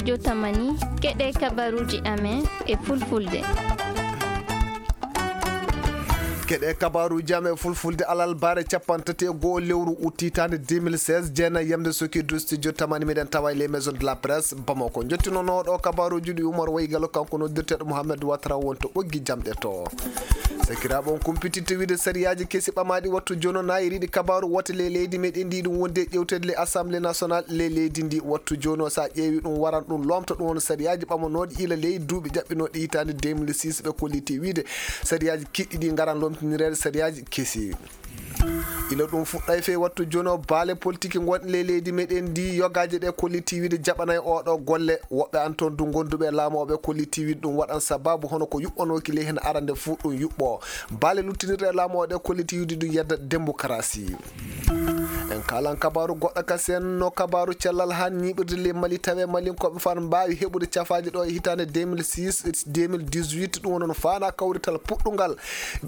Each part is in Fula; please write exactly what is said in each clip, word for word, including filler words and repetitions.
Jotamani, keɗe kabaruuji amen e fulfulde. Keɗe kabaruuji amen e fulfulde alarba capanɗe tati e go'o lewru ut hitaande deux mille seize, jeenayi yamde soki du studio tamani, miɗen tawa e les maisons de la presse Bamako. Njottinono ɗo kabaruuji ɗi Umar Waygalo, kanko noddirteeɗo Mohamed Ouattara won to ɓoggi jamɗe to. Sakiraaɓe, on kumpititte wiide sariyaaji kesi ɓamaaɗi wattu jooni o naayiriiɗi kabaaru wote ley leydi meɗen ndi, ɗum wonde e ƴewteede ley Assemblée nationale ley leydi ndi. Wattu jooni o, so a ƴeewi ɗum, waran ɗum loomta ɗum won sariyaaji ɓamanooɗi ila ley duuɓi ƴaɓɓinooɗi hitaande deux mille six, ɓe kolliti wiide sariyaaji kiɗɗi ɗi ngaran loomtinireede sariyaaji kesi. Ila ɗum fuɗɗay fey wattu jooni o, baale politiki gonɗe ley leydi meɗen ndi, yogaaje ɗe kolliti wiide jaɓanay oɗo golle. Woɓɓe an toon du gonduɓe e laamu o, ɓe kolliti wiide ɗum waɗan sababu hono ko yuɓɓanooki ley heen arande fuu ɗum yuɓɓo. Baale luttinirɗe e laamu o ɗe kolliti wiide ɗum yedda démocratie. En kaalan kabaaru goɗɗo kasen, no kabaaru cellal haa ñiiɓirde ley Mali, tawe Malinkooɓe faan mbaawi heɓude cafaaji ɗo e hitaande deux mille six, deux mille dix-huit, ɗum woni no faana kawrital puɗɗungal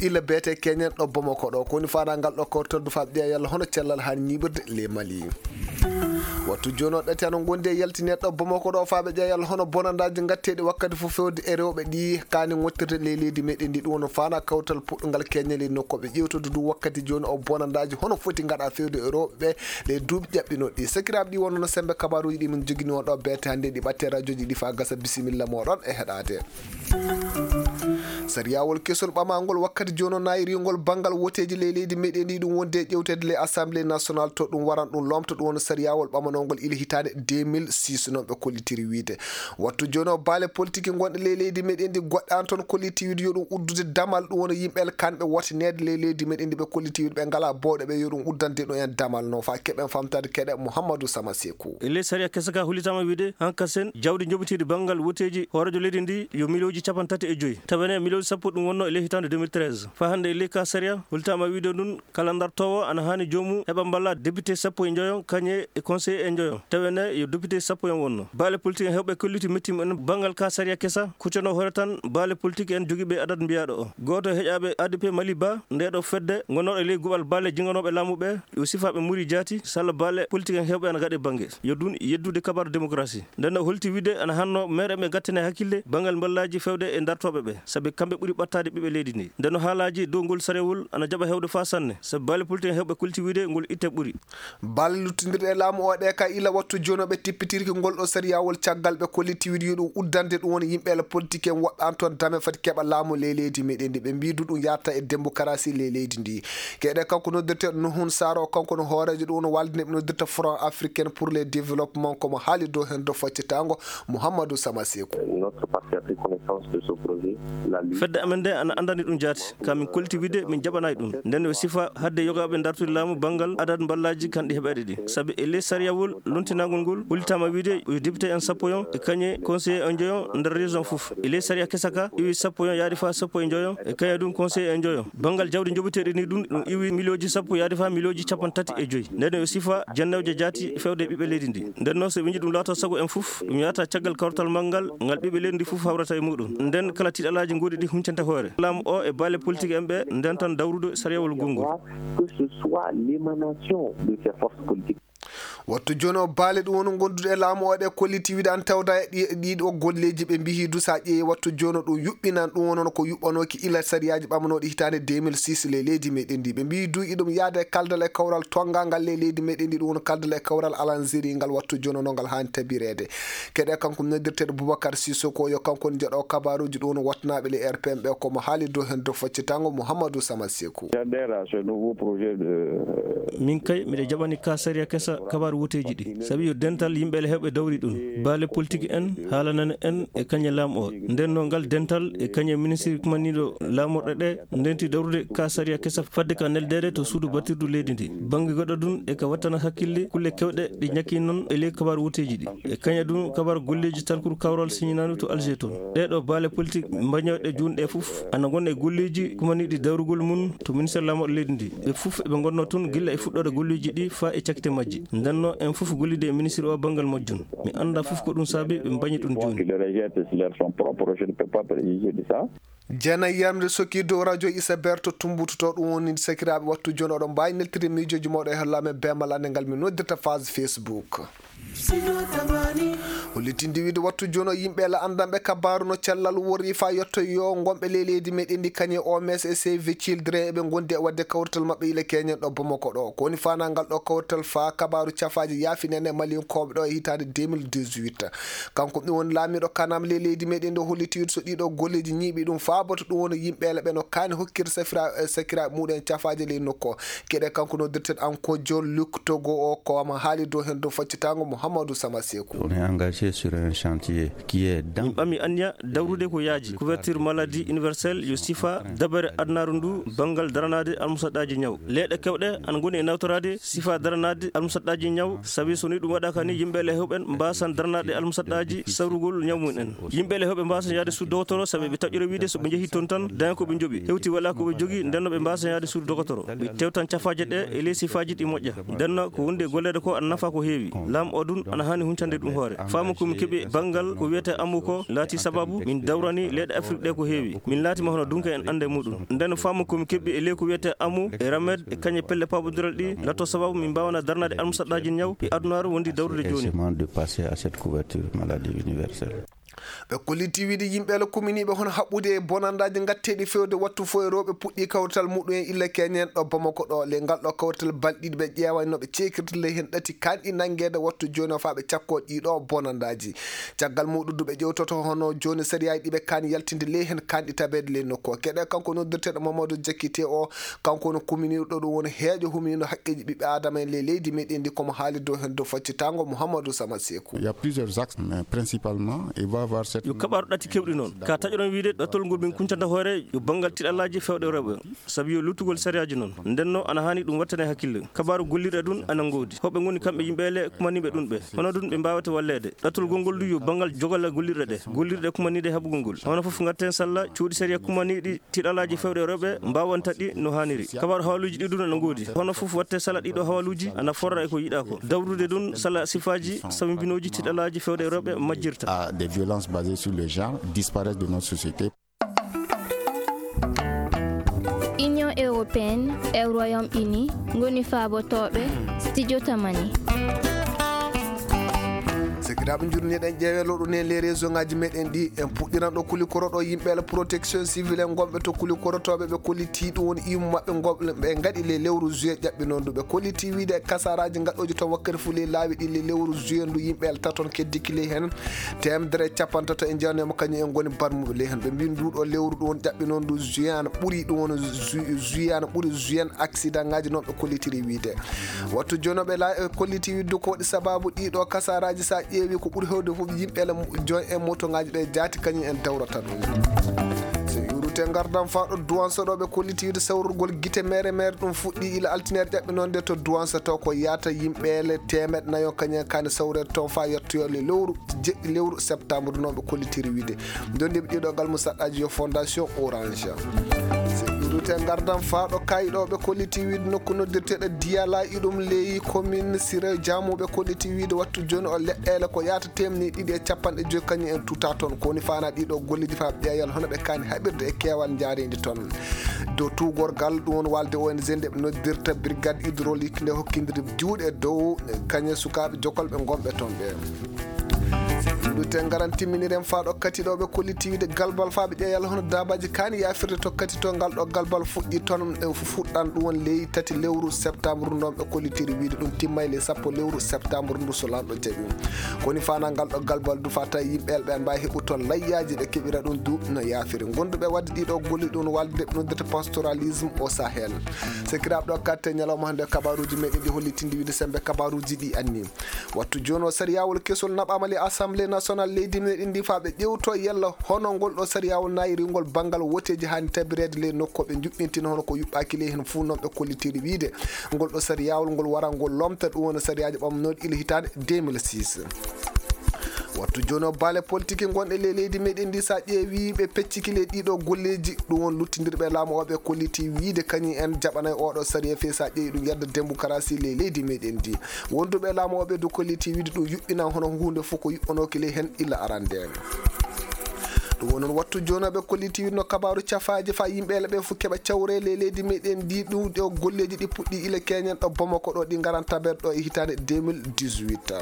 ila beete keñen ɗo Bamako ɗo. Ko woni faana ngal ɗo kawrital du faa ɓe ƴeewa yalla hono cellal haa ñiiɓirde ley Mali. Wattu jooni o ɗati hano ngondi e yaltineede ɗo Bamako ɗo faa ɓe ƴeewa yalla hono bonandaaji ngatteeɗi wakkati fof fewde e rewɓe ɗi kaani ŋottirde ley leydi meɗen ndi, ɗum woni faana kawrital puɗɗungal keñen ley nokku ɓe ƴeewtude du wakkati jooni o bonandaaji hono foti ngaɗa fewde e rewɓe ɓe ley duuɓi ƴaɓɓinooɗi ɗi. Sakiraaɓe, ɗi wonno sembe kabaaruuji ɗi min jogini on ɗo beete hannde ɗi ɓatte rajoji ɗi faa gasa. Bisimilla mooɗon e heɗaade. Sariyawol kesol ɓamaangol wakkati jooni o naayiriingol banngal woteeji ley leydi meɗen ndi, ɗum wonde e ƴewteede ley Assemblée nationale to ɗum waran ɗum loomta ɗum woni sariyawol ɓamanoongol ila hitaande deux mille six, noon ɓe kollitiri wiide. Wattu jooni o baale politiki gonɗe ley leydi meɗen ndi goɗɗe an toon kolliti wiide yo ɗum uddude damal ɗum woni yimɓe alkanɓe wotineede ley leydi meɗen ndi ɓe kolliti wiide ɓe ngalaa bowɗe ɓe yo ɗum uddande ɗum en damal no faa keɓen famtaade keɗe Mouhamadou Sama Sekou. E ley sariya kesa ka hollitaama wiide hankasen jawdi njoɓiteedi banngal woteeji hooreejo leydi ndi yo miliyooji capanɗe tati e joyi. Tawa ne miliyooji sappo ɗum wonno e ley hitaande deux mille treize. Faa hannde e ley ka sariya hollitaama wiide ɗum kala ndartoowo ana haani joomum heɓa mballa député sappo e njoyo kañe e conseiller e njoyo. Tawa ne yo député sappo en wonno. Baale politique en heewɓe kolliti mettiima en banngal ka sariya kesa kuccano hoore tan baale politique en jogiiɓe adat mbiyaaɗo o. Gooto e heƴaaɓe A D P Mali ba nde ɗo fedde ngonnooɗo e ley guɓal baale jinganooɓe laamu ɓe yo sifaaɓe muri jaati salla baale politique en heewɓe ana gaɗe bannge. Yo ɗum yeddude kabaru démocratie. Nden o holti wiide ana hanno meere ɓe gattane hakkille banngal mballaaji fewde e dartooɓe ɓe, sabi kamɓe ɓuri ɓattaade ɓiɓɓe leydi ndi. Nden o haalaaji dow ngol sarewol ana jaɓa heewde faa sanne, sabi baale politique en heewɓe kolti wiide ngol itte ɓuri. Balle luttindirɗe e laamu o ɗe ka ila wattu jooni o ɓe tippitirki ngol ɗo sariyawol caggal ɓe kolliti wiide yo ɗum uddande ɗum woni yimɓe ele politique en woɓɓe an toon dame fati keɓa laamu ley leydi meɗen ndi. Ɓe mbiidu ɗum yarta e démocratie ley leydi ndi. Keɗe kanko noddirteeɗo Nuhun Saro, kanko no hooreejo ɗum no waalde nde ɓe noddirta Front Africain pour le Développement, komo haali dow heen dow faccitango Mouhamadou Sama Sekou. Notre parti a pris connaissance de ce projet. Fedde amen nde ana anndani ɗum jaati, ka min kolti wiide min jaɓanaay ɗum. Nden o sifa hadde yogaaɓe dartude laamu banngal adat mballaaji kanɗi heɓeede ɗi. Sabi e ley sariyawol lontinaangol ngol, hollitaama wiide yo député en sappo yon e kañe conseiller en njoyon nder région fof. E ley sariya kesa ka, iwi sappo yon yaade faa sappo e njoyon e kañe ɗum conseiller en njoyon. Banngal jawdi njoɓeteeɗi ni ɗum, ɗum iwi miliyooji sappo yaade faa miliyooji capanɗe tati e joyi. Nden o sifa jannewje jaati fewde e ɓiɓɓe leydi ndi. Nden noon so ɓe nji ɗum laato sago en fof, ɗum yahata caggal kawtal manngal, ngal ɓiɓɓe leydi ndi fof hawrata e muɗum. Nden kala tiiɗalaaji ngoɗi ɗi huncanta hoore. Laamu o e baale politique en ɓe ndentan dawrude sariyawol gonngol. Que ce soit l'émanation de ces forces politiques. Wattu jooni o baale ɗum woni gondude e laamu o ɗe kolliti wiide an tawda e ɗi, ɗiɗo golleeji ɓe mbihi du sa ƴeewi wattu jooni o ɗum yuɓɓinan ɗum woni ko yuɓɓanooki ila sariyaaji ɓamanooɗi hitaande deux mille six ley leydi meɗen ndi. Ɓe mbihi du iɗum yaade e kaldal e kawral tongangal ley leydi meɗen ndi, ɗum woni kaldal e kawral alanziri ngal wattu jooni o no ngal haani tabireede. Keɗe kanko noddirteeɗo Boubacar Sissoko yo kanko woni jeɗo kabaruuji ɗum woni wattanaaɓe ley R P M ɓe komo haali dow heen dow faccitango Mouhamadou Sama Sekou. J'adhère à ce nouveau projet de. Min kay miɗe jaɓani ka sariya kesa kabaru woteeji ɗi, sabi yo dental yimɓe ele heewɓe dawri ɗum. Baale politique en haalanani en e kañe laamu o. Nden no ngal dental e kañe ministre kumaniiɗo laamorɗe ɗe ndenti dawrude ka sariya kesa fadde ka neldeede to suudu batirdu leydi ndi. Bannge goɗɗo ɗum e ka wattana hakkille kulle kewɗe ɗi ñakki noon e ley kabaru woteeji ɗi. E kañe ɗum kabaru golleeji talkuru kawral siñinaandu to Alger toon. Ɗee ɗo baale politique mbañooɗe juunɗe fof ana ngona e golleeji kumaniiɗi dawrugol mum to ministère laamorɗe leydi ndi. Ɓe fof eɓe ngonnoo toon gilla e fuɗɗoode golleeji ɗi faa e cakkite majji. Nden no en fof gollidi e ministre o banngal majjum. Mi anndaa fof ko ɗum saabi ɓe mbañi ɗum jooni. Qui le rejette, c'est leur son propre, je ne peux pas préjuger de ça. Jeenayi yamde sokki dow radio Isa Berto Tumbutu to ɗum woni sakiraaɓe wattu jooni oɗon mbaawi neltude miijooji mooɗon e holla men beemal annde ngal min noddirta phase Facebook. Hollitinde wiide wattu jooni o yimɓe la anndanɓe kabaaru no cellal worri faa yottoyoo ngonɓe ley leydi meɗen ndi kañe O M S e Save the Children eɓe ngondi e waɗde kawrital maɓɓe ila keñen ɗo Bamako ɗo. Ko woni faanaa ngal ɗo kawrital faa kabaaru cafaaji yaafinene Malinkooɓe ɗo e hitaande deux mille dix-huit. Kanko ɗum woni laamiiɗo kanam ley leydi meɗen ndi holliti wiide so ɗiɗo golleeji ñiiɓi ɗum faaboto ɗum woni yimɓe la ɓe no kaani hokkirde safira-, sakiraaɓe muɗen cafaaji ley nokku o. Keɗe kanko noddirten Ankojo Luke Togo o ko ama haali dow heen dow faccitaango Mouhamadou Sama Sekou. On est engagé sur un chantier qui est dans... Min ɓami anniya dawrude ko yaaji couverture maladie universelle yo sifa dabere adunaaru ndu banngal daranaade almusaɗaaji ñaw. Leyɗe kewɗe ana ngoni e nawtoraade sifa daranaade almusaɗaaji ñaw, sabi so ni ɗum waɗaaka ni yimɓe le hewɓe mbaasan daranaade almusaɗaaji sawrugol ñaw mum en. Yimɓe le hewɓe mbaasan yaade suudu dogotoro sabi ɓe taƴƴira wiide so ɓe njehii toon tan daña ko ɓe njoɓi hewti wala ko ɓe jogii ndenno ɓe mbaasan yaade suudu dogotoro. Ɓe tewtan cafaaje ɗe e ley sifaaji ɗi moƴƴa. Ndenno ko wonde golleede ko ana nafa ko heewi. Laam o ɗum ana haani huncande ɗum hoore. Faamu ko mi keɓi banngal ko wiyetee amu ko laati sababu min dawrani leyɗe Afrik ɗe ko heewi. Min laatiima hono dunke en annde muɗum. Nden faamu ko mi keɓi e ley ko wiyetee amu e ramed e kañe pelle paabondiral ɗi latto sababu min mbaawana darnaade almusaɗaaji ñaw e adunaaru wondi dawrude jooni. Essayement de passer à cette couverture maladie universelle. Ɓe kolliti wiide yimɓe la kuminiiɓe hono haɓɓude e bonandaaji ngatteeɗi fewde wattu fof e rewɓe puɗɗi kawrital muɗum en illa keñen ɗo Bamako ɗo. Ley ngal ɗo kawrital balɗe ɗiɗi ɓe ƴeewa no ɓe ceekirta ley heen ɗati kanɗi nanngeede wattu jooni o faa ɓe cakkoo ɗiɗo bonandaaji. Caggal muɗum du ɓe ƴewtoto hono jooni sariyaaji ɗi ɓe kaani yaltinde ley heen kanɗi tabeede ley nokku o. Keɗe kanko noddirteeɗo Mamadou Diakité o, kanko woni kuminiiɗo ɗo ɗum woni heejo huminiiɗo haqqeeji ɓiɓɓe aadama en ley leydi meɗen ndi komo haali dow heen dow faccitaango Mouhamadou Sama Sekou. Il y a plusieurs axes, mais principalement, il va avoir cette... Yo kaɓaaru ɗati kewɗi noon. Ka taƴoɗon wiide ɗattol ngol min kuncanta hoore yo banngal tiɗalaaji fewɗe rewɓe. Sabi yo luttugol sariyaaji noon. Ndenno ana haani ɗum wattane hakkille. Kabaaru gollirɗe ɗum ana ngoodi. Hoɓe ngoni kamɓe yimɓe le kumaniiɓe ɗum ɓe. Hono ɗum ɓe mbaawata walleede. Ɗattol gongol du yo banngal jogala gollirɗe ɗe. Gollirɗe kumaniiɗe haɓugol ngol. Hono fof ngatten salla cuuɗi sariya kumaniiɗi tiɗalaaji fewɗe rewɓe mbaawanta ɗi no haaniri. Kabaaru haaluuji ɗi ɗum ana ngoodi. Hono fof watte sala ɗiɗo haaluuji ana forra e ko yiɗaa ko. Dawrude ɗum sala sifaaji sawibinooji tiɗalaaji fewɗe rewɓe majjirta. À des violences basées sur le genre disparaissent de notre société. Union européenne e Royaume-Uni ngoni faabotooɓe studio Tamani. Sekiraaɓe njurni eɗen ƴeewe lowɗo ne les réseau ngaji meɗen ɗi en puɗɗiran ɗo kulikoro ɗo yimɓe la protection civile en gonɓe to kulikorotooɓe ɓe kolliti ɗum woni imu maɓɓe gonɓe ɓe ngaɗi le lewru juillet ƴaɓɓinondu ɓe kolliti wiide kasaraji gaɗɗoji toon wakkati fof ley laawi ɗi le lewru juillet ndu yimɓe la taton keddiki ley heen. Teemedere e capantato e jeewnama kañum en ngoni barmuɓe ley heen. Ɓe mbi nduɗo lewru ɗum woni ƴaɓɓinondu juin ana ɓuri ɗum woni ju-, juin ana ɓuri juin accident ngaji noon ɓe kollitiri wiide. Wattu jooni ɓe la-, e kolliti wiide ko waɗi sababu ɗiɗo kasaraji sa ƴeewi ko ɓuri hewde fof yimɓe le join e moto ngaji ɓe jaati kañum en dawrata ɗum. So yuurute ngardan faa ɗo duwanso ɗo ɓe kolliti wiide sawrugol gite mere mere ɗum fuɗɗi ila altinere ƴaɓɓinonde to duwanso to ko yaata yimɓe le teemeɗe nayo kañum en kaani sawrede toon faa yettoyo le lewru jeɗɗi lewru septembre noon ɓe kollitiri wiide. Ndondiiɓe ɗiɗo ngal musaɗɗaaji yo Fondation Orange. So ɗuɗute ngardan faa ɗo kayi ɗo ɓe kolliti wiide nokku noddirteeɗo Diyala iɗum ley commune Siré Diamou ɓe kolliti wiide wattu jooni o leɗɗeele ko yaata teemni ɗiɗi e capanɗe joyi kañum en tuta toon. Ko woni faana ɗiɗo golleeji faa ɓeeyal hono ɓe kaani haɓirde e keewal njaareendi toon. Dow tuugorgal ɗum woni walde O N G nde ɓe noddirta brigade hydraulique nde hokkindiri juuɗe dow kañe sukaaɓe jokolɓe gonɓe toon ɓe. Ɗute ngaran timminiren faa ɗo kati ɗo ɓe kolliti wiide galbal faa ɓe ƴeeyal hono daabaaji kaani yaafirde to kati to ngal ɗo galbal fuɗɗi toon e fu-, fuɗɗan ɗum woni ley tati lewru septembre ndon ɓe kollitiri wiide ɗum timmay ley sappo lewru septembre ndu so lanɗo jaɓi. Ko woni faana ngal ɗo galbal du faa tawi yimɓe ɓe mbaawi heɓu toon layyaaji ɓe keɓira ɗum du no yaafiri. Gonduɓe waɗde ɗiɗo golli ɗum walde ɓe noddata pastoralisme au Sahel. Sekiraaɓe ɗo katte ñalawma hannde kabaruuji meɗen ɗi hollitindi wiide sembe kabaruuji ɗi anni. Wattu jooni o sariyawol kesol naɓaama le Assemblée nationale leydi meɗen ndi faa ɓe ƴewto yalla hono ngol ɗo sariyawol nayi ringol banngal woteeji haani tabireede ley nokku ɓe njuɓɓintina hono ko yuɓɓaaki ley heen fuu noon ɓe kollitiri wiide ngol ɗo sariyawol ngol wara ngol lomta ɗum woni sariyaaji ɓamnooɗi ila hitaande deux mille six. Wattu jooni o baale politique gonɗe ley leydi meɗen ndi sa ƴeewi ɓe pecciki ley ɗiɗo golleeji ɗum won luttindirɓe laamu o ɓe kolliti wiide kañum en jaɓanay oɗo sariya fii sa ƴeewi ɗum yadda démocratie ley leydi meɗen ndi. Wonduɓe laamu o ɓe du kolliti wiide ɗum yuɓɓinan hono huunde fof ko yuɓɓanooki ley heen illa arande. Ɗum woni noon wattu jooni o ɓe kolliti wiide no kabaaru cafaaji faa yimɓe le ɓe fof keɓa cawre ley leydi meɗen ndi ɗum ɗo golleeji ɗi puɗɗi ila keñen ɗo Bamako ɗo ɗi ngaran tabeede ɗo e hitaande deux mille dix-huit.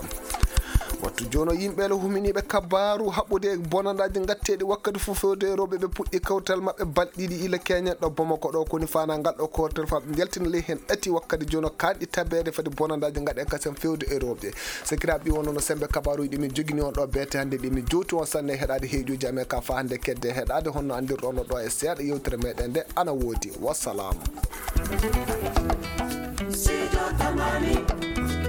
Wattu jooni o yimɓe le huminiiɓe kabaaru haɓɓude e bonandaaji ngatteeɗi wakkati fof fewde e rewɓe ɓe puɗɗi kawtal maɓɓe balɗe ɗiɗi ila keñen ɗo Bamako ɗo koni fana ngal ɗo kowtal fa ɓe njaltina ley heen ɗati wakkati jooni o kaaɗi tabeede fadi bonandaaji ngaɗen kasen fewde e rewɓe. Sakiraaɓe ɗi wonno no sembe kabaaruji ɗi min jogini on ɗo beete hannde ɗi min jowti on sanne heɗaade heeƴuji amen ka fa hannde kedde heɗaade honno anndirɗon no ɗo e seeɗa yewtere meɗen nde ana woodi. Wassalam. Sijo Tamani.